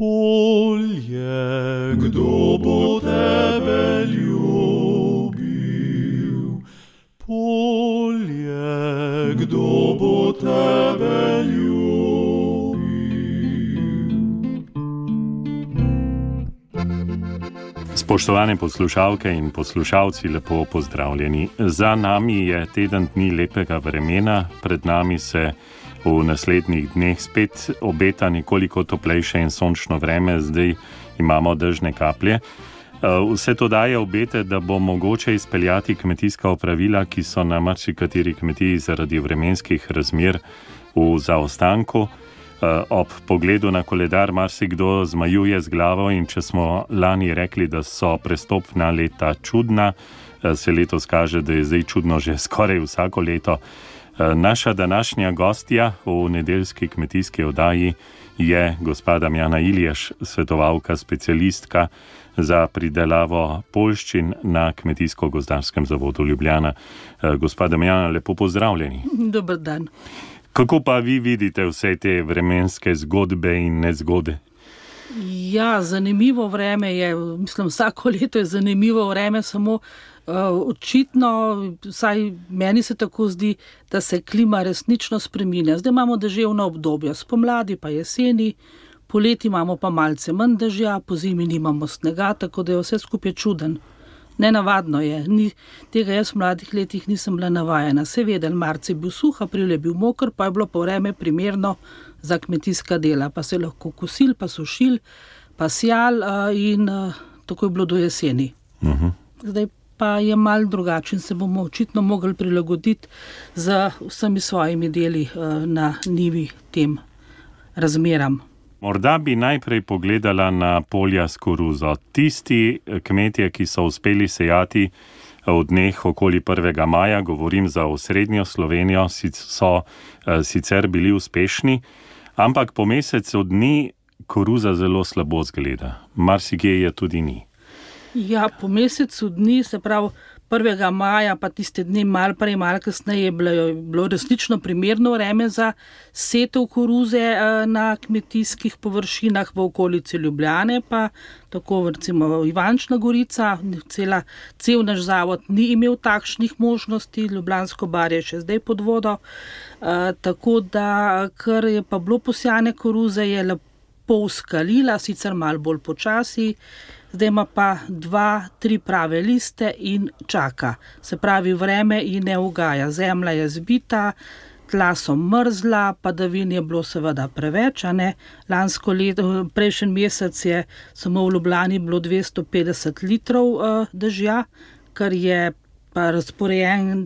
Polje, kdo bo tebe ljubil? Polje, kdo bo tebe ljubil? Spoštovane poslušalke in poslušalci, lepo pozdravljeni. Za nami je teden dni lepega vremena, pred nami se v naslednjih dneh spet obeta nekoliko toplejše in sončno vreme, zdaj imamo dežne kaplje. Vse to daje obete, da bo mogoče izpeljati kmetijska opravila, ki so na marsikateri kmetiji zaradi vremenskih razmer v zaostanku. Ob pogledu na koledar marsikdo zmajuje z glavo in če smo lani rekli, da so prestopna leta čudna, se letos kaže, da je zdaj čudno že skoraj vsako leto. Naša današnja gostja v nedeljski kmetijski oddaji je gospa Damjana Ilješ, svetovalka, specialistka za pridelavo poljščin na Kmetijsko-gozdarskem zavodu Ljubljana. Gospa Damjana, lepo pozdravljeni. Dober dan. Kako pa vi vidite vse te vremenske zgodbe in nezgode? Ja, zanimivo vreme je, mislim, vsako leto je zanimivo vreme, samo očitno, vsaj meni se tako zdi, da se klima resnično spreminja. Zdaj imamo deževna obdobja, spomladi pa jeseni, poleti imamo pa malce manj dežja, po zimi nimamo snega, tako da je vse skupaj čuden. Nenavadno je, tega jaz v mladih letih nisem bila navajena. Seveda, marec je bil suh, april je bil moker, pa je bilo pa vreme primerno za kmetijska dela, pa se lahko kosil, pa sušil, pa sjal in tako je bilo do jeseni. Zdaj pa je malo drugačen, se bomo očitno mogli prilagoditi z vsemi svojimi deli na njivi tem razmeram. Morda bi najprej pogledala na polja s koruzo. Tisti kmetje, ki so uspeli sejati v dneh okoli 1. maja, govorim za osrednjo Slovenijo, so sicer bili uspešni, ampak po mesecu dni koruza zelo slabo zgleda. Marsikje je tudi ni. Ja, po mesecu dni, se pravi 1. maja, pa tiste dni malo prej, malo kasneje je bilo resnično primerno vreme za setev koruze na kmetijskih površinah v okolici Ljubljane, pa tako recimo Ivančna Gorica, cel naš zavod ni imel takšnih možnosti, Ljubljansko barje je še zdaj pod vodo, tako da, kar je pa bilo posjane koruze, je lepo uskalila, sicer malo bolj počasi. Zdaj ima pa 2-3 prave liste in čaka. Se pravi, vreme ji ne ugaja. Zemlja je zbita, tla so mrzla, padavin je bilo seveda preveč. Lansko leto, prejšnji mesec je samo v Ljubljani bilo 250 litrov dežja, kar je pa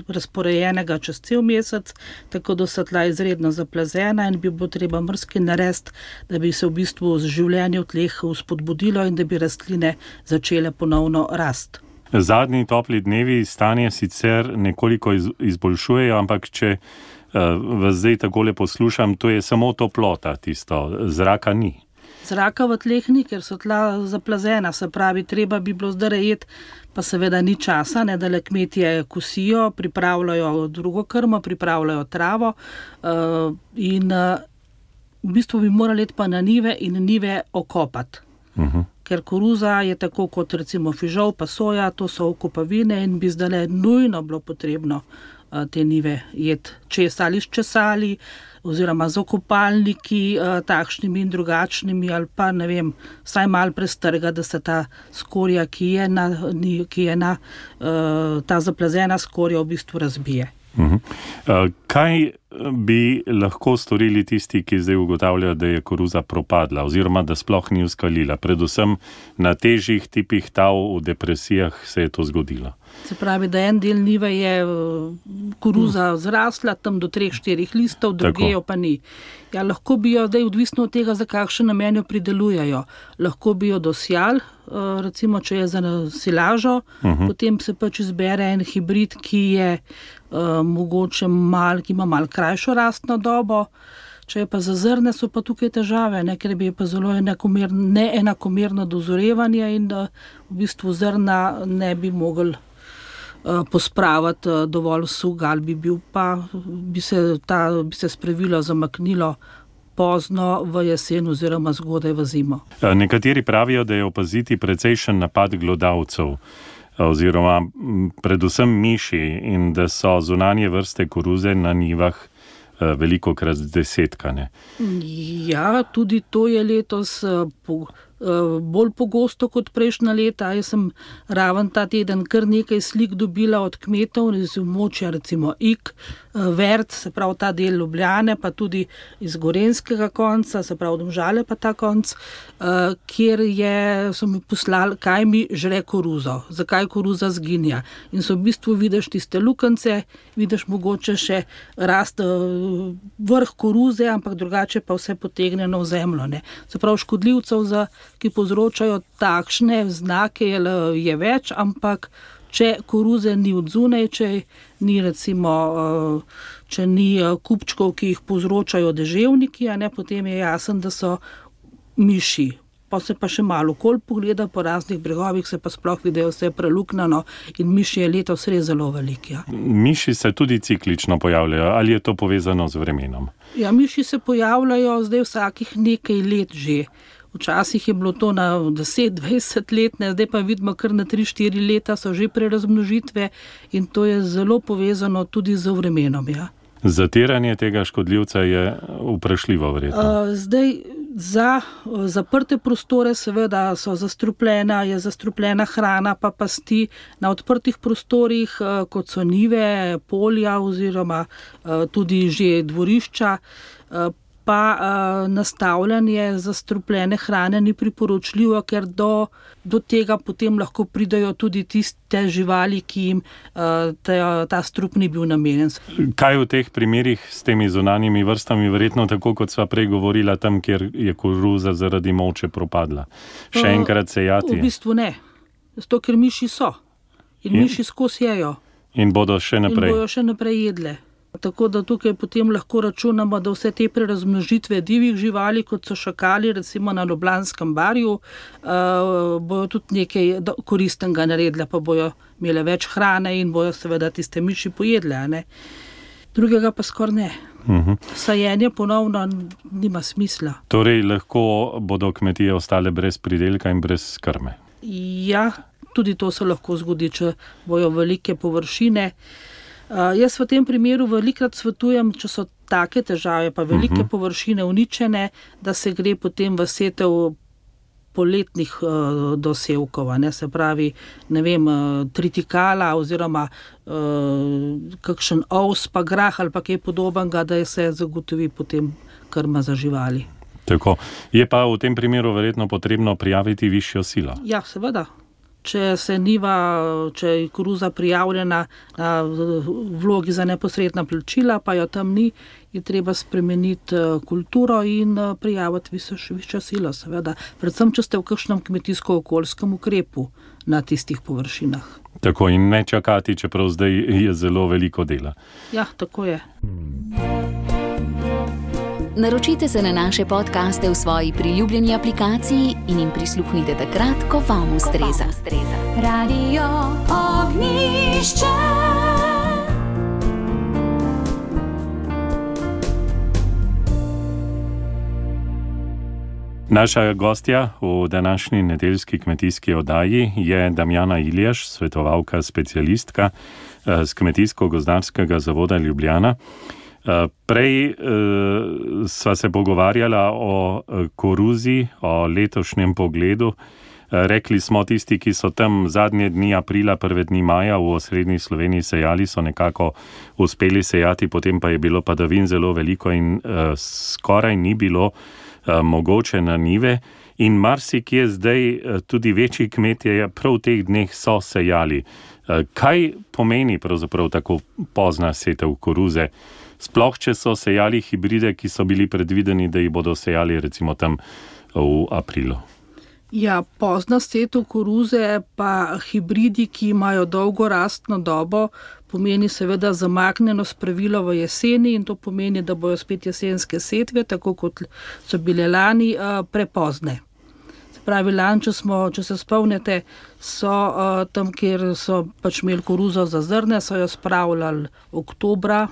razporejenega čez cel mesec, tako da so tla izredno zaplazena in bi bilo treba mrzki narediti, da bi se v bistvu življenje v tleh vzpodbudilo in da bi rastline začele ponovno rasti. Zadnji topli dnevi stanje sicer nekoliko izboljšujejo, ampak če vas zdaj takole poslušam, to je samo toplota tisto, zraka ni. Zraka v tleh ni, ker so tla zaplazena, se pravi, treba bi bilo zdaj rejeti, pa seveda ni časa, da le kmetje kosijo, pripravljajo drugo krmo, pripravljajo travo in v bistvu bi morali iti pa na njive in njive okopati. Ker koruza je tako kot recimo fižol pa soja, to so okopavine in bi zdaj nujno bilo potrebno te njive jeti ali s česali, oziroma z okopalniki, takšnimi in drugačnimi, ali pa, ne vem, vsaj malo prestrga, da se ta skorja, ki je na ta zaplazena skorja v bistvu razbije. Kaj bi lahko storili tisti, ki zdaj ugotavljajo, da je koruza propadla, oziroma da sploh ni uskalila? Predvsem na težjih tipih tav v depresijah se je to zgodilo. Se pravi, da en del njive je koruza zrasla, tam do 3-4 listov, druge jo pa ni. Ja, lahko bi jo, zdaj odvisno od tega, za kakšen namen jo pridelujejo. Lahko bi jo dosjali, recimo, če je za silažo, potem se pač izbere en hibrid, ki je mogoče ki ima malo krajšo rastno dobo. Če je pa za zrne, so pa tukaj težave, ker bi pa zelo neenakomerno dozorevanje in v bistvu zrna ne bi mogli pospraviti dovolj suh, ali bi se spravilo zamaknilo pozno v jesen oziroma zgodaj v zimo. Nekateri pravijo, da je opaziti precejšen napad glodavcev oziroma predvsem miši in da so zunanje vrste koruze na njivah velikokrat zdesetkane. Ja, tudi to je letos bolj pogosto kot prejšnja leta. Jaz sem raven ta teden kar nekaj slik dobila od kmetov iz območja recimo Ig, Vert, se pravi ta del Ljubljane, pa tudi iz gorenjskega konca, se pravi Domžale pa ta konc, kjer so mi poslali, kaj mi žre koruzo, zakaj koruza zginja. In so v bistvu vidiš tiste lukance, vidiš mogoče še rast vrh koruze, ampak drugače pa vse potegnjeno v zemljo. Ne. Se pravi škodljivcev, ki povzročajo takšne znake, je več, ampak če koruze ni od zunaj, če ni kupčkov, ki jih povzročajo deževniki, potem je jasen, da so miši. Pa se pa še malo okoli pogleda, po raznih bregovih se pa sploh vidijo vse preluknjano in miši je letos res zelo velik. Ja. Miši se tudi ciklično pojavljajo, ali je to povezano z vremenom? Ja, miši se pojavljajo zdaj vsakih nekaj let že. Včasih je bilo to na 10-20 let, zdaj pa vidimo kar na 3-4 leta so že prerazmnožitve in to je zelo povezano tudi z vremenom. Ja. Zatiranje tega škodljivca je vprašljivo verjetno. Zdaj za zaprte prostore seveda je zastrupljena hrana pa pasti na odprtih prostorih, kot so njive, polja oziroma tudi že dvorišča, pa nastavljanje zastrupljene hrane ni priporočljivo, ker do tega potem lahko pridajo tudi tiste živali, ki jim ta strup ni bil namenjen. Kaj v teh primerih s temi zunanjimi vrstami, verjetno tako, kot sva prej govorila, tam, kjer je koruza zaradi moče propadla? Še enkrat sejati? V bistvu ne, zato ker miši so in miši skozi jejo. In bodo še naprej? In bojo še naprej jedle. Tako da tukaj potem lahko računamo, da vse te prerazmnožitve divjih živali, kot so šakali, recimo na Ljubljanskem barju, bojo tudi nekaj koristnega naredile, pa bojo imele več hrane in bojo seveda tiste miši pojedle. Ne? Drugega pa skoraj ne. Sajenje ponovno nima smisla. Torej lahko bodo kmetije ostale brez pridelka in brez krme? Ja, tudi to se lahko zgodi, če bojo velike površine. Jaz v tem primeru velikrat svetujem, če so take težave, pa velike površine uničene, da se gre potem v setev poletnih dosevkov, se pravi, tritikala oziroma kakšen ovs pa grah ali pa kaj podobnega, da se zagotovi potem krma za živali. Tako. Je pa v tem primeru verjetno potrebno prijaviti višjo silo? Ja, seveda. Če je koruza prijavljena na vlogi za neposredna plačila, pa jo tam ni, je treba spremeniti kulturo in prijaviti višjo silo, seveda. Predvsem, če ste v kakšnem kmetijsko-okoljskem ukrepu na tistih površinah. Tako, in ne čakati, čeprav zdaj je zelo veliko dela. Ja, tako je. Naročite se na naše podcaste v svoji priljubljeni aplikaciji in jim prisluhnite takrat, ko vam ustreza. Radio Ognjišče. Naša gostja v današnji nedeljski kmetijski oddaji je Damjana Iljaš, svetovalka specialistka z Kmetijsko-gozdarskega zavoda Ljubljana. Prej sva se pogovarjala o koruzi, o letošnjem pogledu. Rekli smo, tisti, ki so tam zadnje dni aprila, prve dni maja v osrednji Sloveniji sejali, so nekako uspeli sejati, potem pa je bilo padavin zelo veliko in skoraj ni bilo mogoče na njive. In marsikje zdaj tudi večji kmetje prav v teh dneh so sejali. Kaj pomeni pravzaprav tako pozna setev koruze? Sploh, če so sejali hibride, ki so bili predvideni, da jih bodo sejali recimo tam v aprilu. Ja, pozna setev koruze pa hibridi, ki imajo dolgo rastno dobo, pomeni seveda zamaknjeno spravilo v jeseni in to pomeni, da bojo spet jesenske setve, tako kot so bile lani, prepozne. Se pravi, lani, če se spomnite, so tam, kjer so pač imeli koruzo za zrne, so jo spravljali oktobra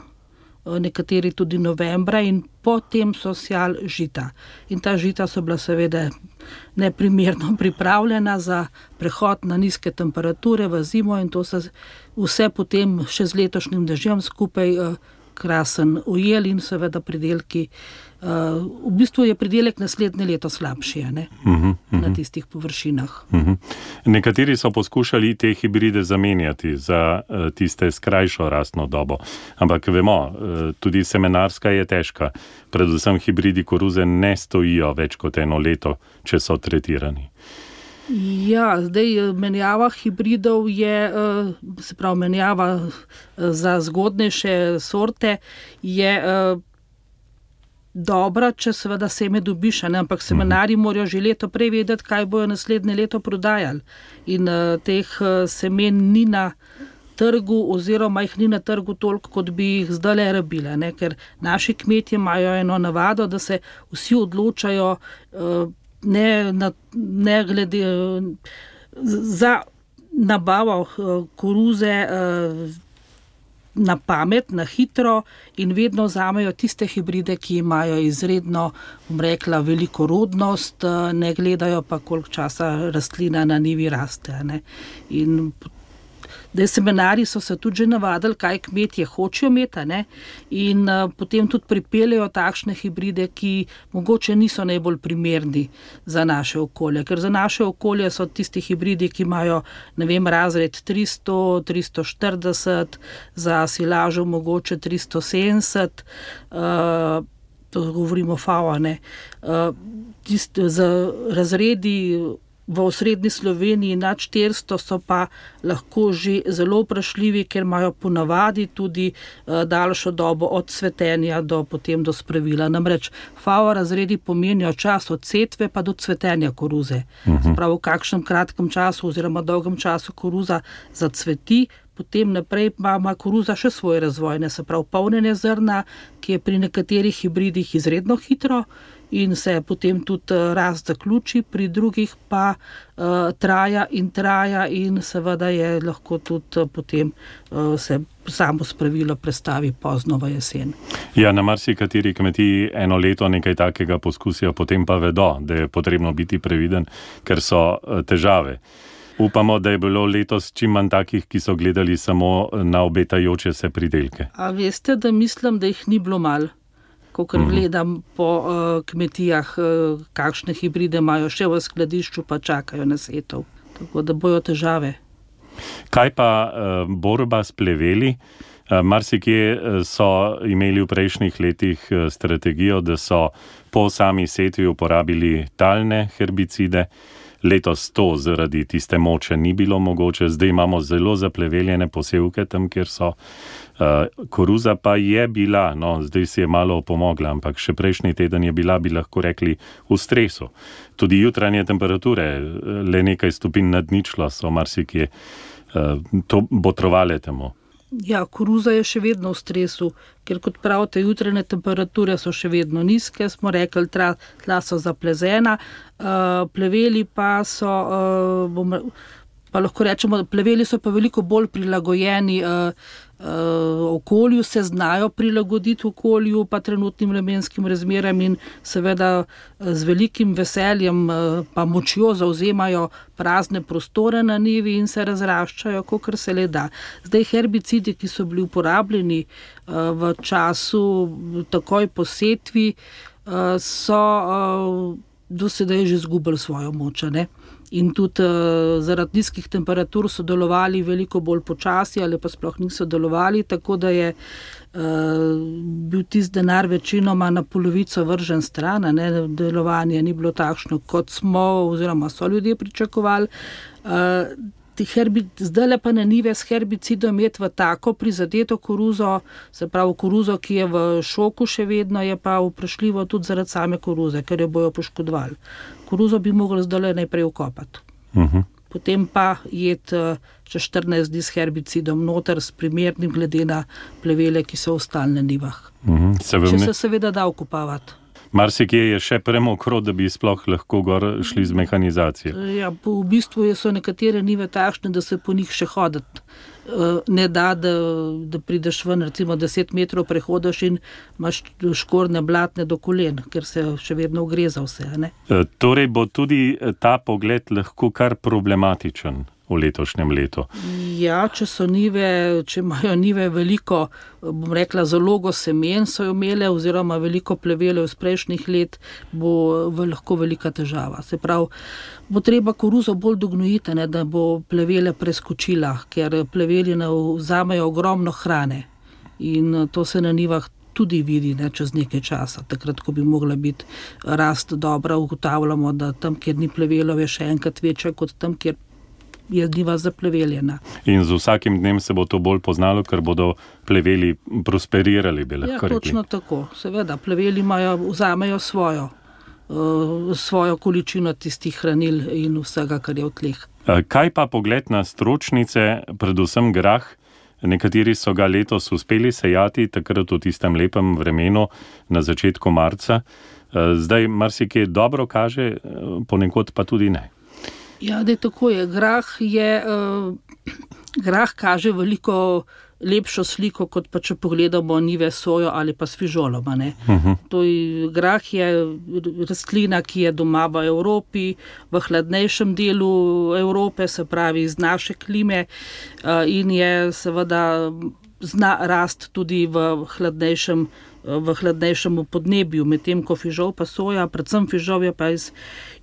nekateri tudi novembra in potem so sejali žita. In ta žita so bila seveda neprimerno pripravljena za prehod na nizke temperature v zimo in to se vse potem še z letošnjim dežjem skupaj krasen ujel in seveda pridelki. V bistvu je pridelek naslednje leto slabši, ne? Na tistih površinah. Nekateri so poskušali te hibride zamenjati za tiste s krajšo rastno dobo, ampak vemo, tudi semenarska je težka. Predvsem hibridi koruze ne stojijo več kot 1 leto, če so tretirani. Ja, zdaj menjava hibridov je, se pravi menjava za zgodnejše sorte je dobra, če seveda seme dobiš, ne? Ampak semenarji morajo že leto prej vedeti, kaj bojo naslednje leto prodajali. In teh semen ni na trgu oziroma jih ni na trgu toliko, kot bi jih zdajle rabile, ne? Ker naši kmetje imajo eno navado, da se vsi odločajo ne glede za nabavo koruze na pamet, na hitro in vedno vzamejo tiste hibride, ki imajo izredno, bom rekla, veliko rodnost, ne gledajo pa, koliko časa rastlina na njivi raste, ne. In semenarji so se tudi že navadili, kaj kmetje hočejo imeti, ne, in potem tudi pripeljejo takšne hibride, ki mogoče niso najbolj primerni za naše okolje, ker za naše okolje so tisti hibridi, ki imajo, ne vem, razred 300, 340, za silažo mogoče 370, to govorimo FAO, ne, za razredi v osrednji Sloveniji nad 400 so pa lahko že zelo vprašljivi, ker imajo ponavadi tudi daljšo dobo od cvetenja do potem do spravila. Namreč FAO razredi pomenijo čas od setve pa do cvetenja koruze. Spravo v kakšnem kratkem času oziroma dolgem času koruza zacveti, potem naprej ima koruza še svoje razvojne, se pravi polnjenje zrna, ki je pri nekaterih hibridih izredno hitro in se potem tudi rast zaključi, pri drugih pa traja in seveda je lahko tudi potem se samo spravilo prestavi pozno v jesen. Ja, na marsikateri kmetiji 1 leto nekaj takega poskusijo, potem pa vedo, da je potrebno biti previden, ker so težave. Upamo, da je bilo letos čim manj takih, ki so gledali samo na obetajoče se pridelke. A veste, da mislim, da jih ni bilo malo, kakor gledam po kmetijah, kakšne hibride imajo še v skladišču, pa čakajo na setov. Tako da bojo težave. Kaj pa borba s pleveli? Marsikje so imeli v prejšnjih letih strategijo, da so po sami setvi uporabili talne herbicide. Letos to zaradi tiste moče ni bilo mogoče, zdaj imamo zelo zapleveljene posevke tam, kjer so. Koruza pa je bila, no, zdaj si je malo opomogla, ampak še prejšnji teden je bila, bi lahko rekli, v stresu. Tudi jutranje temperature, le nekaj stopinj nad ničlo so marsikje to botrovale temu. Ja, koruza je še vedno v stresu, ker kot pravite, jutranje temperature so še vedno nizke, smo rekli, tla so zaplezena, pleveli pa so, pa lahko rečemo, pleveli so pa veliko bolj prilagojeni okolju, se znajo prilagoditi okolju pa trenutnim vremenskim razmeram in seveda z velikim veseljem pa močjo zavzemajo prazne prostore na njivi in se razraščajo, kakor se le da. Zdaj herbicidi, ki so bili uporabljeni v času takoj po setvi, so do sedaj že izgubili svojo moč, ne? In tudi zaradi nizkih temperatur so delovali veliko bolj počasi ali pa sploh niso delovali, tako da je bil tisti denar večinoma na polovico vržen stran, ne? Delovanje ni bilo takšno, kot smo oziroma so ljudje pričakovali. Zdajle pa na njive s herbicidom imeti v tako prizadeto koruzo, se pravi koruzo, ki je v šoku še vedno, je pa vprašljivo tudi zaradi same koruze, ker jo bojo poškodovali. Koruzo bi mogli zdajle najprej ukopati. Potem pa jeti še 14 dni s herbicidom noter, s primernim glede na plevele, ki so ostali na njivah. Če se seveda da ukopavati. Marsikje je še premokro, da bi sploh lahko gor šli z mehanizacije. Ja, v bistvu so nekatere njive takšne, da se po njih še hoditi ne da prideš ven, recimo 10 metrov prehodiš in imaš škorne blatne do kolen, ker se še vedno ogreza vse. Ne? Torej bo tudi ta pogled lahko kar problematičen v letošnjem letu. Ja, če imajo njive veliko, bom rekla, zalogo semen so jo imele, oziroma veliko plevele iz prejšnjih let, bo lahko velika težava. Se pravi, bo treba koruzo bolj dognojiti, ne, da bo plevele preskočila, ker pleveli vzamejo ogromno hrane in to se na njivah tudi vidi, ne, čez nekaj časa. Takrat, ko bi mogla biti rast dobra, ugotavljamo, da tam, kjer ni plevelov, je še enkrat večja kot tam, kjer je njiva zapleveljena. In z vsakim dnem se bo to bolj poznalo, ker bodo pleveli prosperirali, bi lahko rekli. Ja, točno tako. Seveda, pleveli vzamejo svojo količino tistih hranil in vsega, kar je v tleh. Kaj pa pogled na stročnice, predvsem grah? Nekateri so ga letos uspeli sejati, takrat v tistem lepem vremenu na začetku marca. Zdaj marsikaj dobro kaže, ponekod pa tudi ne. Ja, tako je. Grah kaže veliko lepšo sliko, kot pa če pogledamo njive sojo ali pa s fižolom. Grah je rastlina, ki je doma v Evropi, v hladnejšem delu Evrope, se pravi iz naše klime, in je seveda zna rast tudi v hladnejšem podnebju, medtem ko fižol pa soja, predvsem fižol je pa iz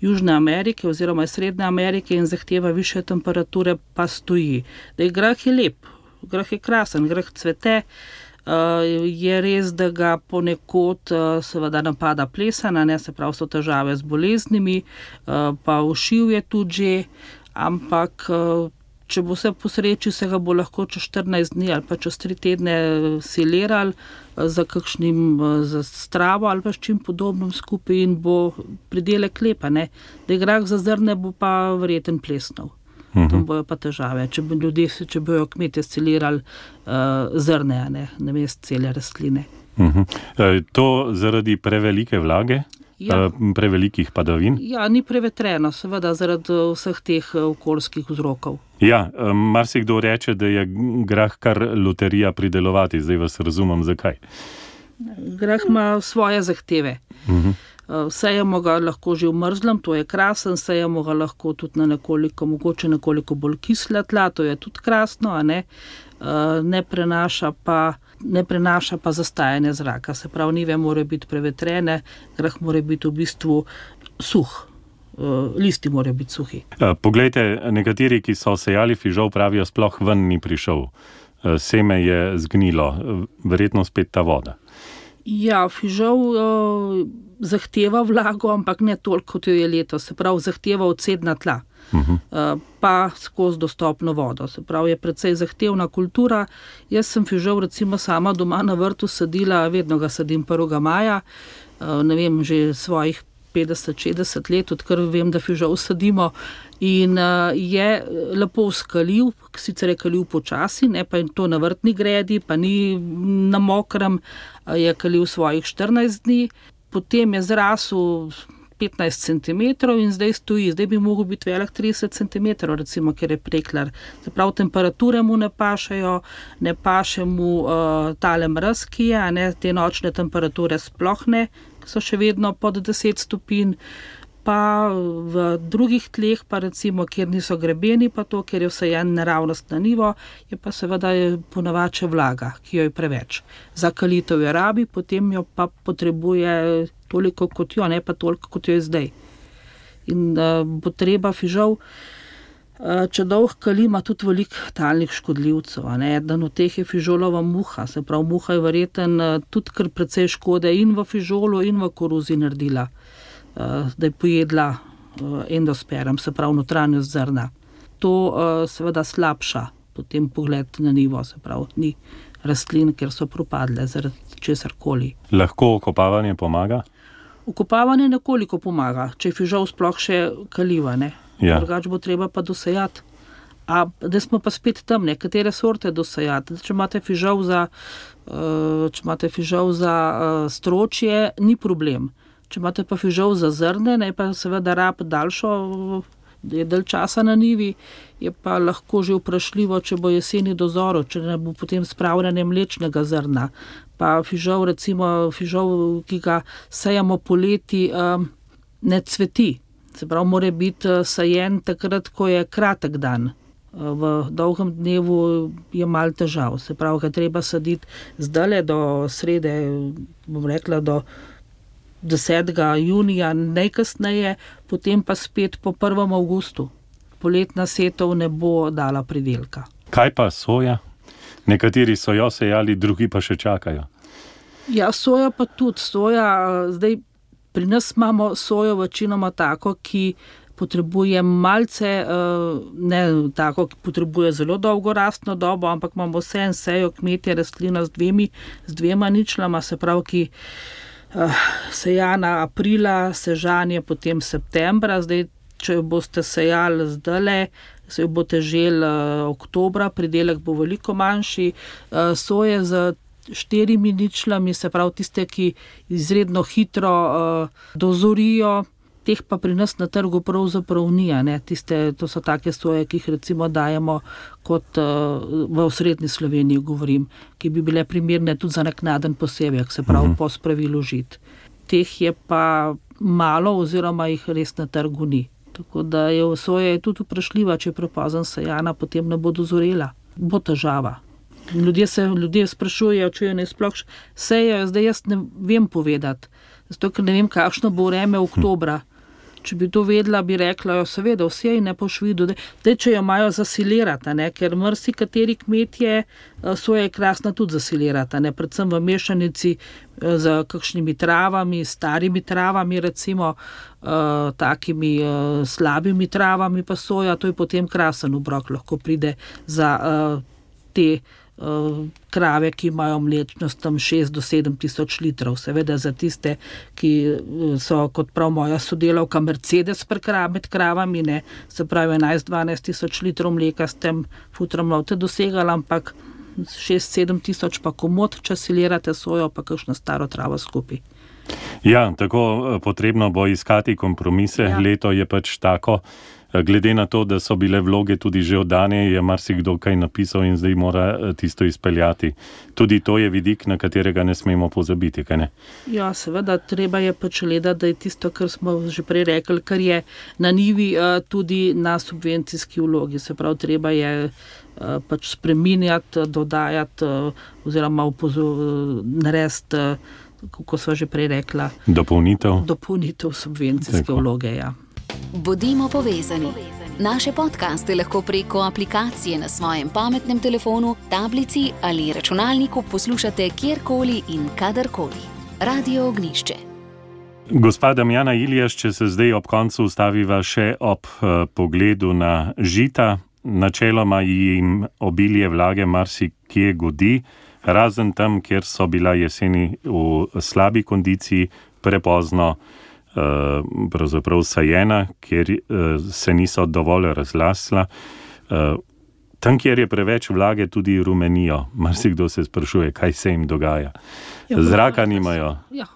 Južne Amerike oziroma iz Srednje Amerike in zahteva više temperature, pa stoji. Grah je lep, grah je krasen, grah cvete, je res, da ga ponekod seveda napada plesana, ne, se pravi so težave z boleznimi, pa ušiv je tudi že, ampak če bo vse po sreči, se ga bo lahko čez 14 dni ali pa čez 3 tedne silerali za stravo ali pa s čim podobnim skupaj in bo pridelek lepa. Da je grah za zrne, bo pa verjeten plesnov. Tam bojo pa težave, če bojo kmetje silirali zrne, namesto cele rastline. To zaradi prevelike vlage? Ja. Prevelikih padavin? Ja, ni prevetreno, seveda zaradi vseh teh okoljskih vzrokov. Ja, marsikdo reče, da je grah kar loterija pridelovati, zdaj vas razumem, zakaj. Grah ima svoje zahteve. Sejemo ga lahko že v mrzlem, to je krasen, sejemo ga lahko tudi na mogoče nekoliko bolj kisla tla, to je tudi krasno, ne prenaša pa zastajanje zraka. Se pravi, njive morajo biti prevetrene, grah mora biti v bistvu suh, listi morajo biti suhi. Poglejte, nekateri, ki so sejali fižol, pravijo, sploh ven ni prišel. Seme je zgnilo, verjetno spet ta voda. Ja, fižol zahteva vlago, ampak ne toliko, kot jo je letos. Se pravi, zahteva odsedna tla. Pa skozi dostopno vodo. Se pravi, je precej zahtevna kultura. Jaz sem fižol recimo sama doma na vrtu sadila, vedno ga sadim 1. maja, ne vem, že svojih 50-60 let, odkar vem, da fižol sadimo, in je lepo skaljiv, sicer je kaljiv počasi, ne pa in to na vrtni gredi, pa ni na mokrem, je kaljiv svojih 14 dni, potem je zrasel 15 cm in zdaj stoji. Zdaj bi mogel biti velik 30 cm, recimo, ker je preklar. Se pravi, temperature mu ne pašejo, ne paše mu tale mraz, ki je, te nočne temperature sploh ne, so še vedno pod 10 stopinj, pa v drugih tleh, pa recimo, kjer niso grebeni, pa to, ker je vsejen naravnost na nivo, je pa seveda ponavače vlaga, ki jo je preveč. Za kalitev je rabi, potem jo pa potrebuje toliko kot jo, ne pa toliko kot jo je zdaj. In bo treba fižol, če dolg kali, ima tudi veliko talnih škodljivcev. Eden od teh je fižolova muha, se pravi, muha je verjeten tudi kar precej škode in v fižolu in v koruzi naredila, da je pojedla endosperm, se pravi notranjost zrna. To seveda slabša potem pogled na nivo, se pravi, ni rastlin, ker so propadle zaradi česarkoli. Lahko okopavanje pomaga? Okopavanje nekoliko pomaga, če je fižol sploh še kaljiva, Ja. Drugače bo treba pa dosejati. Da smo pa spet tam, katere sorte dosejati. Če imate fižol za stročje, ni problem. Če imate pa fižol za zrne, pa seveda rab daljšo je dalj časa na nivi, je pa lahko že vprašljivo, če bo jeseni dozoril, če ne bo potem spravljanje mlečnega zrna. Pa fižol, recimo fižol, ki ga sejamo poleti, ne cveti. Se pravi, mora biti sajen takrat, ko je kratek dan. V dolgem dnevu je malo težav. Se pravi, ga treba saditi zdale do srede, bom rekla, do 10. junija najkasneje, potem pa spet po 1. avgustu. Poletna setev ne bo dala pridelka. Kaj pa soja? Nekateri so jo sejali, drugi pa še čakajo. Ja, soja pa tudi. Zdaj pri nas imamo sojo večinoma tako, ki potrebuje malce, ne tako, ki potrebuje zelo dolgo rastno dobo, ampak imamo vse en sejo kmetje rastlina z dvema ničlama, se pravi, ki sejana aprila, sežanje potem septembra. Zdaj, če jo boste sejali zdajle, se jo boste želi oktobra, pridelek bo veliko manjši. Soje z 4 ničlami, se pravi tiste, ki izredno hitro dozorijo, teh pa pri nas na trgu pravzaprav ni. To so take soje, ki jih recimo dajemo kot v osrednji Sloveniji govorim, ki bi bile primerne tudi za naknaden posevek, se pravi po spravilu žit. Teh je pa malo oziroma jih res na trgu ni. Tako da soja je tudi vprašljiva, če je prepozno sejana, potem ne bo dozorela. Bo težava. Ljudje sprašujejo, če jo ne sploh sejejo, zdaj jaz ne vem povedati, zato ker ne vem, kakšno bo vreme oktobra. Če bi to vedela, bi rekla, seveda, vse je ne po švidu, da če jo imajo zasilirati, ker marsikateri kmetje soja je krasna tudi zasilirati, predvsem v mešanici z kakšnimi travami, starimi travami, recimo takimi slabimi travami pa soja, to je potem krasen obrok, lahko pride za te krave, ki imajo mlečnost tam 6 do 7 tisoč litrov. Seveda za tiste, ki so, kot prav moja sodelavka, Mercedes med kravami, se pravi 11-12 tisoč litrov mleka s tem futrom lovte dosegali, ampak 6-7 tisoč pa komod, če silirate sojo, pa kakšno staro travo skupaj. Ja, tako potrebno bo iskati kompromise. Ja. Leto je pač tako. Glede na to, da so bile vloge tudi že oddane, je marsikdo kaj napisal in zdaj mora tisto izpeljati. Tudi to je vidik, na katerega ne smemo pozabiti, kaj ne? Ja, seveda, treba je pač gledati, da je tisto, kar smo že prej rekli, kar je na nivi tudi na subvencijski vlogi. Se pravi, treba je pač spreminjati, dodajati oziroma narediti, kako sva že prej rekla, dopolnitev subvencijske vloge, ja. Bodimo povezani. Naše podcaste lahko preko aplikacije na svojem pametnem telefonu, tablici ali računalniku poslušate kjerkoli in kadarkoli. Radio Ognjišče. Gospa Damjana Iljaš, če se zdaj ob koncu ustaviva še ob pogledu na žita, načeloma jim obilje vlage marsikje godi, razen tam, kjer so bila jeseni v slabi kondiciji, prepozno pravzaprav sajena, kjer se niso dovolj razlasla. Tam, kjer je preveč vlage, tudi rumenijo. Marsikdo se sprašuje, kaj se jim dogaja. Zraka nimajo. Ja,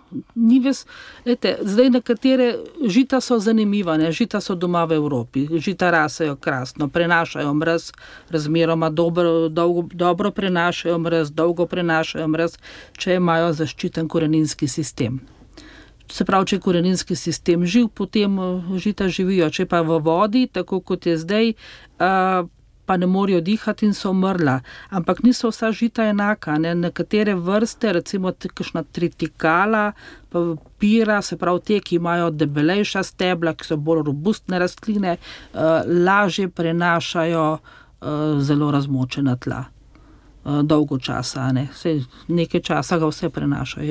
zdaj nekatere žita so zanimiva, žita so doma v Evropi, žita rasejo krasno, prenašajo mraz, razmeroma dobro prenašajo mraz, dolgo prenašajo mraz, če imajo zaščiten koreninski sistem. Se pravi, če je koreninski sistem živ, potem žita živijo. Če pa v vodi, tako kot je zdaj, pa ne morejo dihati in so umrla. Ampak niso vsa žita enaka. Nekatere vrste, recimo kakšna tritikala, pa pira, se pravi te, ki imajo debelejša stebla, ki so bolj robustne rastline, lažje prenašajo zelo razmočena tla. Dolgo časa, nekaj časa ga vse prenašajo.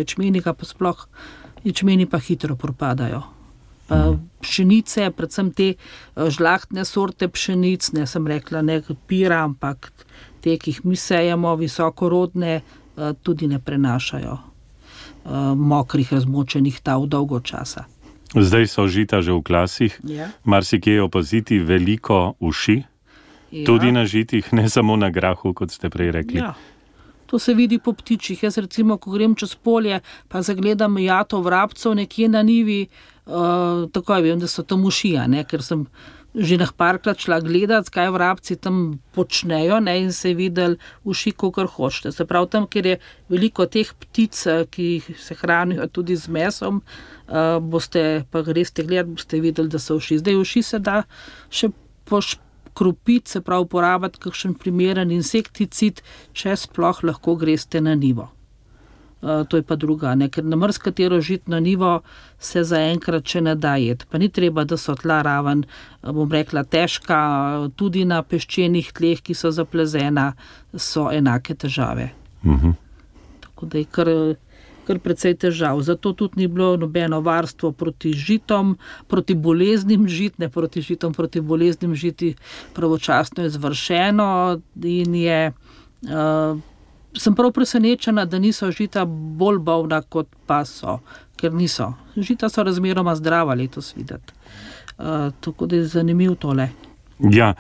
Ječmeni pa hitro propadajo. Pšenice, predvsem te žlahtne sorte pšenic, ne sem rekla, ne pira, ampak te, ki jih mi sejemo, visokorodne, tudi ne prenašajo mokrih, razmočenih tal dolgo časa. Zdaj so žita že v klasih, marsikje opaziti veliko uši, tudi na žitih, ne samo na grahu, kot ste prej rekli. Ja. To se vidi po ptičih. Jaz recimo, ko grem čez polje, pa zagledam jato vrabcev nekje na nivi, takoj vem, da so tam uši, ker sem že parkrat šla gledati, kaj vrabci tam počnejo, ne, in se videli uši, kakor hočete. Se pravi, tam, kjer je veliko teh ptic, ki se hranijo tudi z mesom, boste pa greste gledati, boste videli, da so uši. Zdaj uši se da še poškropiti, se pravi, uporabiti kakšen primeren insekticid, če sploh lahko greste na njivo. To je pa druga, ne? Ker na marsikatero žitno njivo se zaenkrat še ne da jeti. Pa ni treba, da so tla raven, bom rekla, težka, tudi na peščenih tleh, ki so zaplezena, so enake težave. Tako da je kar precej težav. Zato tudi ni bilo nobeno varstvo proti žitom, proti boleznim žit, ne proti žitom, proti boleznim žiti pravočasno izvršeno in je... Sem prav presenečena, da niso žita bolj bolna, kot pa so, ker niso. Žita so razmeroma zdrava letos videti. Tako da je zanimiv tole. Ja,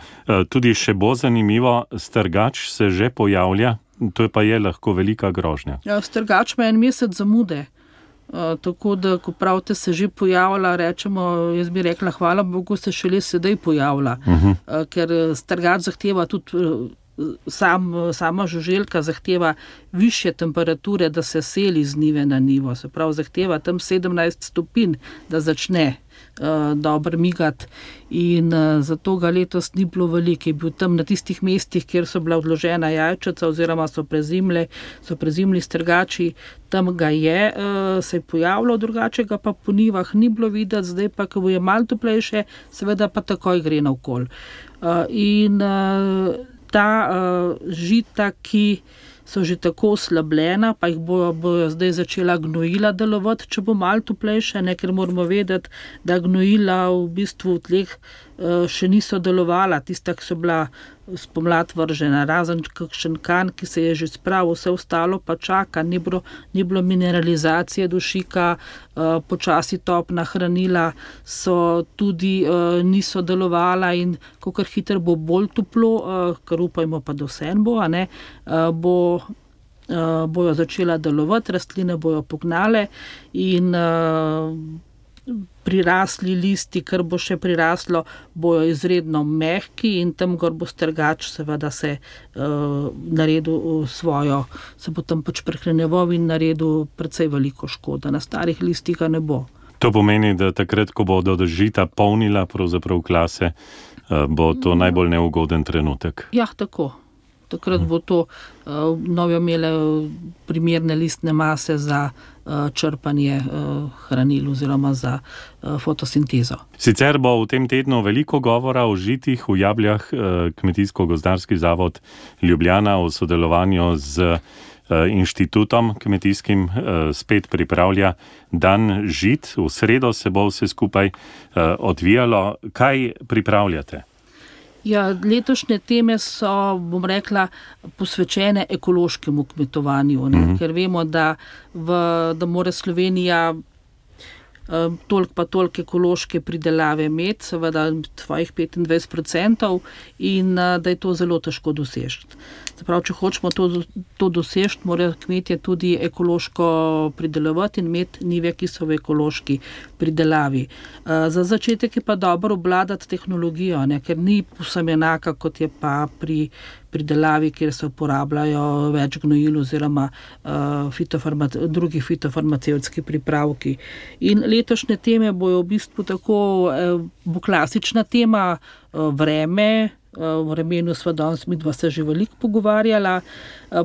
tudi še bo zanimivo, strgač se že pojavlja, to pa je lahko velika grožnja. Ja, strgač ima 1 mesec zamude. Tako da, ko pravite, se že pojavlja, rečemo, jaz bi rekla, hvala Bogu, se šele sedaj pojavlja. Ker strgač zahteva tudi... Sama žuželka zahteva višje temperature, da se seli z njive na njivo. Se pravi, zahteva tam 17 stopinj, da začne dobro migati. In zato ga letos ni bilo veliko. Je bil tam na tistih mestih, kjer so bila odložena jajčeca oziroma so prezimli strgači, tam ga je, se je pojavljal, drugače ga pa po njivah ni bilo videti, zdaj pa, ko je malo toplejše, seveda pa takoj gre naokoli. In ta žita, ki so že tako oslabljena, pa jih bojo zdaj začela gnojila delovati, če bo malo toplejše, ne, ker moramo vedeti, da gnojila v bistvu v tleh še niso delovala, tista, ki so bila spomlad vržena, razen kakšen kan, ki se je že spravil, vse ostalo pa čaka, ni bilo mineralizacije dušika, počasi topna hranila so tudi niso delovala in kakor hitro bo bolj toplo, kar upajmo pa do vsem bo, bojo začela delovati, rastline bojo pognale in prirasli listi, kar bo še priraslo, bojo izredno mehki in tam gor bo strgač seveda se naredil svojo, se bo tam pač prehranjeval in naredil precej veliko škoda. Na starih listih ga ne bo. To pomeni, da takrat, ko bodo žita polnila pravzaprav klase, bo to najbolj neugoden trenutek. Ja, tako. Takrat bo to novo imele primerne listne mase za črpanje hranil oziroma za fotosintezo. Sicer bo v tem tednu veliko govora o žitih v Jabljah. Kmetijsko-gozdarski zavod Ljubljana v sodelovanju z inštitutom kmetijskim spet pripravlja dan žit. V sredo se bo vse skupaj odvijalo. Kaj pripravljate? Ja, letošnje teme so, bom rekla, posvečene ekološkemu kmetovanju, ker vemo, da mora Slovenija toliko ekološke pridelave imeti, seveda svojih 25%, in da je to zelo težko doseči. Se pravi, če hočemo to doseči, morajo kmetje tudi ekološko pridelovati in imeti njive, ki so v ekološki pridelavi. Za začetek je pa dobro obvladati tehnologijo, ne, ker ni povsem enaka, kot je pa pri pridelavi, kjer se uporabljajo več gnojil oziroma drugi fitofarmacevtski pripravki. In letošnje teme bojo v bistvu tako, bo klasična tema vreme, v vremenu sva danes midva se že veliko pogovarjala,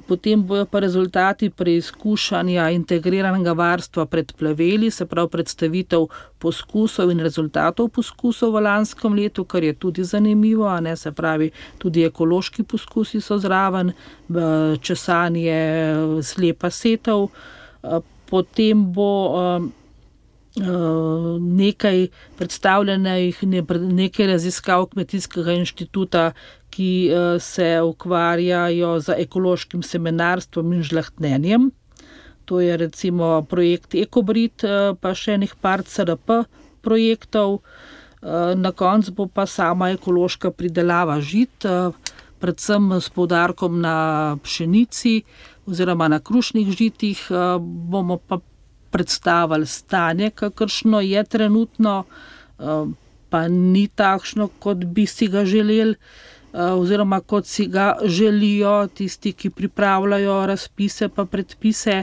potem bojo pa rezultati preizkušanja integriranega varstva pred plaveli, se pravi predstavitev poskusov in rezultatov poskusov v lanskem letu, kar je tudi zanimivo, ne, se pravi tudi ekološki poskusi so zraven, česanje, slepa setev, potem bo nekaj predstavljenih, nekaj raziskav Kmetijskega inštituta, ki se ukvarjajo z ekološkim semenarstvom in žlahtnenjem. To je recimo projekt Ekobrit, pa še nekaj par CRP projektov. Na koncu bo pa sama ekološka pridelava žit, predvsem s poudarkom na pšenici oziroma na krušnih žitih. Bomo pa predstavili stanje, kakršno je trenutno. pa ni takšno, kot bi si ga želeli, oziroma kot si ga želijo tisti, ki pripravljajo razpise pa predpise.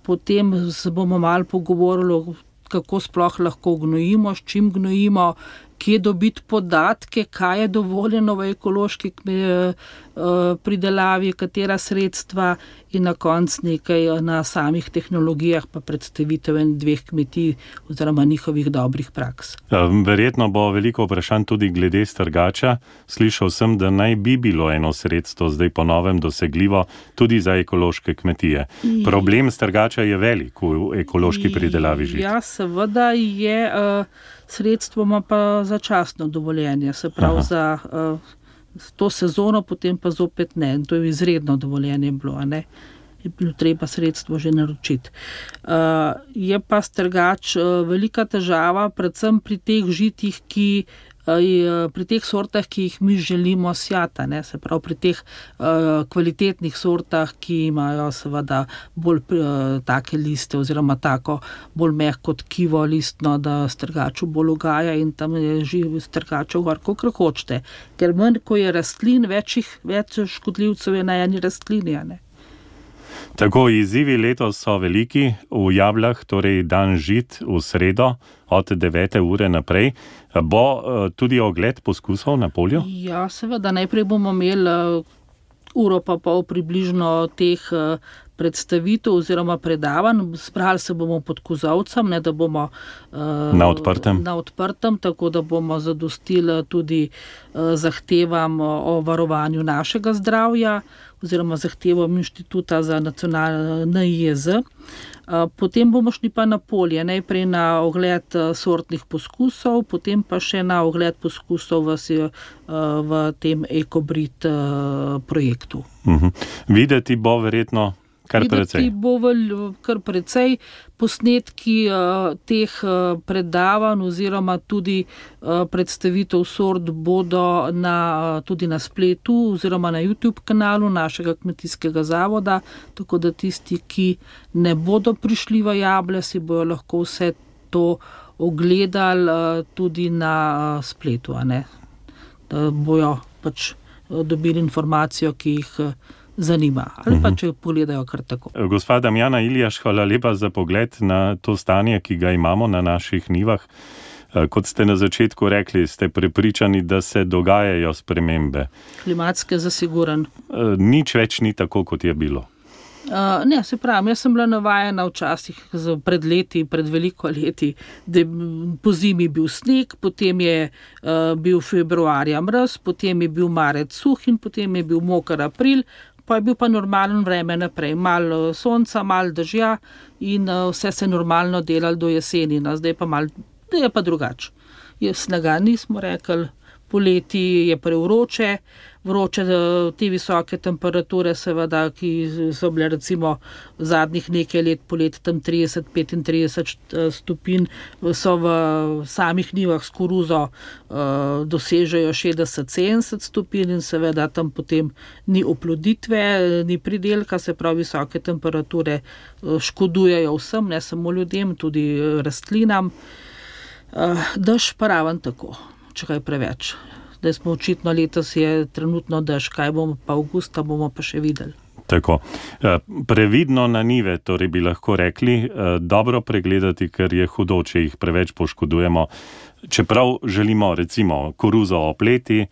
Potem se bomo malo pogovorili, kako sploh lahko gnojimo, s čim gnojimo, kje dobiti podatke, kaj je dovoljeno v ekološki pridelavi, katera sredstva in na koncu nekaj na samih tehnologijah pa predstavitev 2 kmetij oziroma njihovih dobrih praks. Verjetno bo veliko vprašanj tudi glede strgača. Slišal sem, da naj bi bilo eno sredstvo zdaj po novem dosegljivo tudi za ekološke kmetije. Problem strgača je velik v ekološki pridelavi žit. Ja, seveda je, sredstvo ima pa začasno dovoljenje, se pravi za to sezono, potem pa zopet ne. In to je izredno dovoljenje bilo, a ne? Je bilo treba sredstvo že naročiti. Je pa strgač velika težava, predvsem pri teh žitih, pri teh sortah, ki jih mi želimo sjati, ne? Se pravi pri teh kvalitetnih sortah, ki imajo seveda bolj take liste oziroma tako bolj mehko tkivo listno, da strgaču bolj ugaja in tam je strgačev gor, kakor hočete. Ker manj, ko je rastlin, več škodljivcev je na eni rastlini, a ne? Tako, izzivi letos so veliki. V Jablah, torej dan žit v sredo od 9. ure naprej. Bo tudi ogled poskusov na polju? Ja, seveda, najprej bomo imeli uro pa pol približno teh predstavitev oziroma predavanj. Zbrali se bomo pod kozovcem, ne, da bomo na odprtem, tako da bomo zadostili tudi zahtevam o varovanju našega zdravja oziroma zahtevam Inštituta za NIJZ. Potem bomo šli pa na polje, najprej na ogled sortnih poskusov, potem pa še na ogled poskusov v tem EcoBrit projektu. Videti bo verjetno kar precej. Videti bo kar precej. Posnetki teh predavanj oziroma tudi predstavitev sort bodo tudi na spletu oziroma na YouTube kanalu našega kmetijskega zavoda, tako da tisti, ki ne bodo prišli v Jable, si bojo lahko vse to ogledali tudi na spletu, a ne? Da bojo pač dobili informacijo, ki jih zanima, ali pa če pogledajo kar tako. Gospa Damjana Iljaš, hvala lepa za pogled na to stanje, ki ga imamo na naših njivah. Kot ste na začetku rekli, ste prepričani, da se dogajajo spremembe. Klimatske zasiguran. Nič več ni tako, kot je bilo. Ne, se pravim, jaz sem bila navajena včasih pred veliko leti, da po zimi bil sneg, potem je bil februarja mraz, potem je bil marec suh in potem je bil moker april, pa je bil pa normalen vreme naprej. Malo sonca, malo dežja in vse se normalno delalo do jeseni. Zdaj je pa drugače. Snega nismo rekli, poleti je prevroče, te visoke temperature seveda, ki so bile recimo zadnjih nekaj let polet tam 30-35 stopinj, so v samih njivah s koruzo dosežejo 60-70 stopinj in seveda tam potem ni oploditve, ni pridelka, se pravi visoke temperature škodujejo vsem, ne samo ljudem, tudi rastlinam. Dež pa raven tako, če kaj preveč. Da smo očitno letos je trenutno dež, kaj bomo pa avgusta, bomo pa še videli. Tako. Previdno na njive, torej bi lahko rekli, dobro pregledati, ker je hudo, če jih preveč poškodujemo. Čeprav želimo recimo koruzo opleti,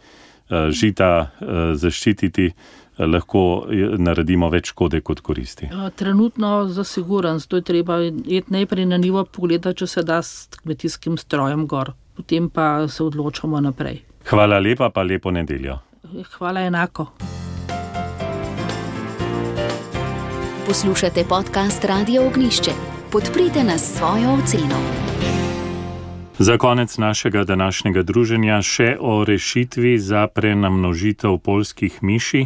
žita zaščititi, lahko naredimo več škode kot koristi. Trenutno zasiguran, zato je treba iti najprej na njivo pogledati, če se da s kmetijskim strojem gor. Potem pa se odločamo naprej. Hvala lepa, pa lepo nedeljo. Hvala enako. Poslušate podcast Radia Ognjišče. Podprite nas s svojo oceno. Za konec našega današnjega druženja še o rešitvi za prenamnožitev poljskih miši.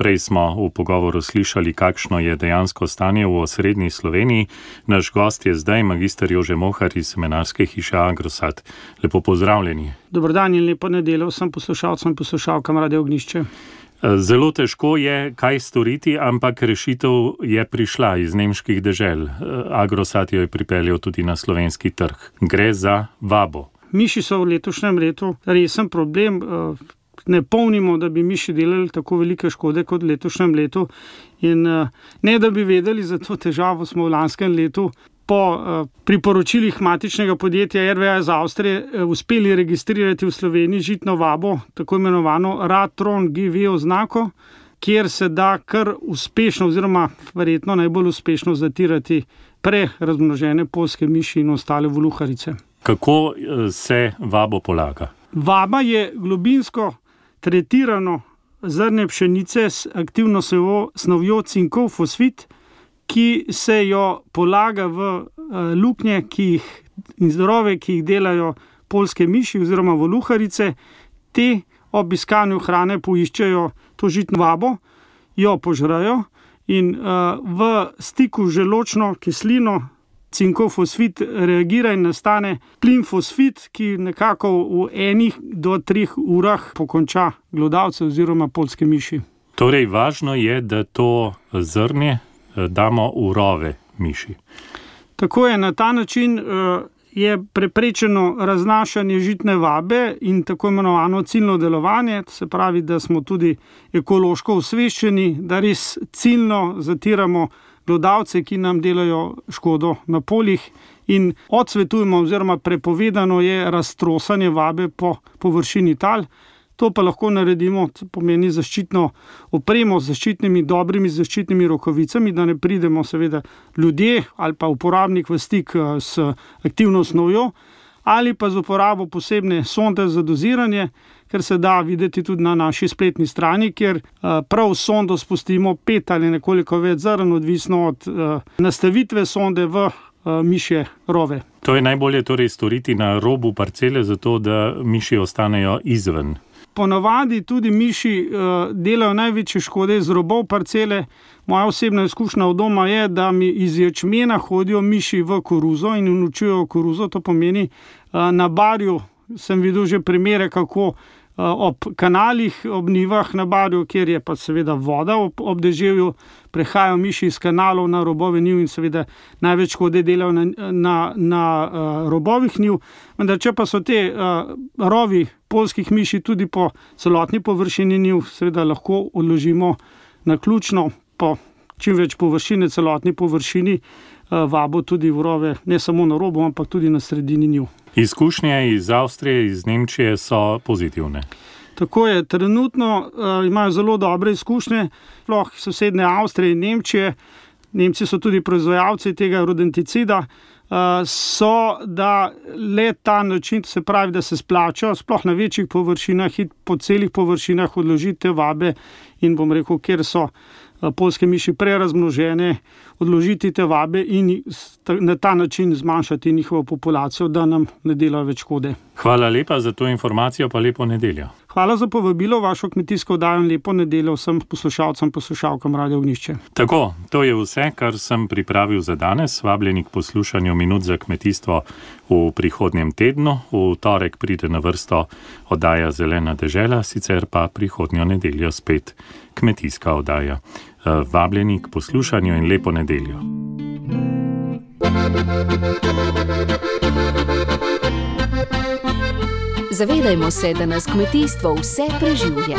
Prej smo v pogovoru slišali, kakšno je dejansko stanje v osrednji Sloveniji. Naš gost je zdaj magister Jože Mohar iz semenarske hiše Agrosat. Lepo pozdravljeni. Dober dan in lepo nedeljo vsem poslušalcem in poslušalkam Radia Ognjišče. Zelo težko je kaj storiti, ampak rešitev je prišla iz nemških dežel. Agrosat jo je pripeljal tudi na slovenski trg. Gre za vabo. miši so v letošnjem letu resen problem. Ne pomnimo, da bi miši delali tako velike škode kot v letošnjem letu. In ne da bi vedeli za to težavo, smo v lanskem letu po priporočilih matičnega podjetja RWA iz Avstrije uspeli registrirati v Sloveniji žitno vabo, tako imenovano Ratron GV oznako, kjer se da kar uspešno oziroma verjetno najbolj uspešno zatirati prerazmnožene poljske miši in ostale voluharice. Kako se vabo polaga? Vaba je globinsko tretirano zrnje pšenice s aktivno snovjo cinkov fosfit, ki se jo polaga v luknje in zdrove, ki jih delajo poljske miši oziroma voluharice. Te ob iskanju hrane poiščejo to žitno vabo, jo požrajo in v stiku z želodčno kislino cinkov fosfit reagira in nastane plin fosfit, ki nekako v 1 do 3 urah pokonča glodavce oziroma poljske miši. Torej, važno je, da to zrnje damo v rove miši. Tako je, na ta način je preprečeno raznašanje žitne vabe in tako imenovano ciljno delovanje, se pravi, da smo tudi ekološko osveščeni, da res ciljno zatiramo glodavce, ki nam delajo škodo na poljih in odsvetujemo oziroma prepovedano je raztrosanje vabe po površini tal. To pa lahko naredimo, to pomeni zaščitno opremo z dobrimi zaščitnimi rokavicami, da ne pridemo seveda ljudje ali pa uporabnik v stik s aktivno snovjo, ali pa z uporabo posebne sonde za doziranje, ker se da videti tudi na naši spletni strani, kjer prav sondo spustimo 5 ali nekoliko več zrn, odvisno od nastavitve sonde v mišje rove. To je najbolje torej storiti na robu parcele, zato da miši ostanejo izven. Ponavadi tudi miši delajo največje škode z robov parcele. Moja osebna izkušnja od doma je, da mi iz ječmena hodijo miši v koruzo in uničujejo koruzo. To pomeni, na barju sem videl že primere, kako ob kanalih, ob njivah na barju, kjer je pa seveda voda ob deževju, prehajajo miši iz kanalov na robove njiv in seveda največ škode delajo na robovih njiv. Vendar če pa so te rovi poljskih miši tudi po celotni površini njiv, seveda lahko odložimo naključno po čim več površine, celotni površini vabo tudi v rove, ne samo na robu, ampak tudi na sredini njiv. Izkušnje iz Avstrije, iz Nemčije so pozitivne. Tako je, trenutno imajo zelo dobre izkušnje, sploh sosednje Avstrije in Nemčije. Nemci so tudi proizvajalci tega rodenticida, so, da le ta način, se pravi, da se splača, sploh na večjih površinah in po celih površinah odložite vabe in bom rekel, kjer so poljske miši prerazmnožene, odložiti te vabe in na ta način zmanjšati njihovo populacijo, da nam ne delajo več škode. Hvala lepa za to informacijo, pa lepo nedeljo. Hvala za povabilo v vašo kmetijsko oddajo in lepo nedeljo vsem poslušalcem, poslušalkam Radio Ognjišče. Tako, to je vse, kar sem pripravil za danes. Vabljeni k poslušanju Minut za kmetijstvo v prihodnjem tednu. V torek pride na vrsto oddaja Zelena dežela, sicer pa prihodnjo nedeljo spet kmetijska oddaja. Vabljeni k poslušanju in lepo nedeljo. Zavedajmo se, da nas kmetijstvo vse preživlja.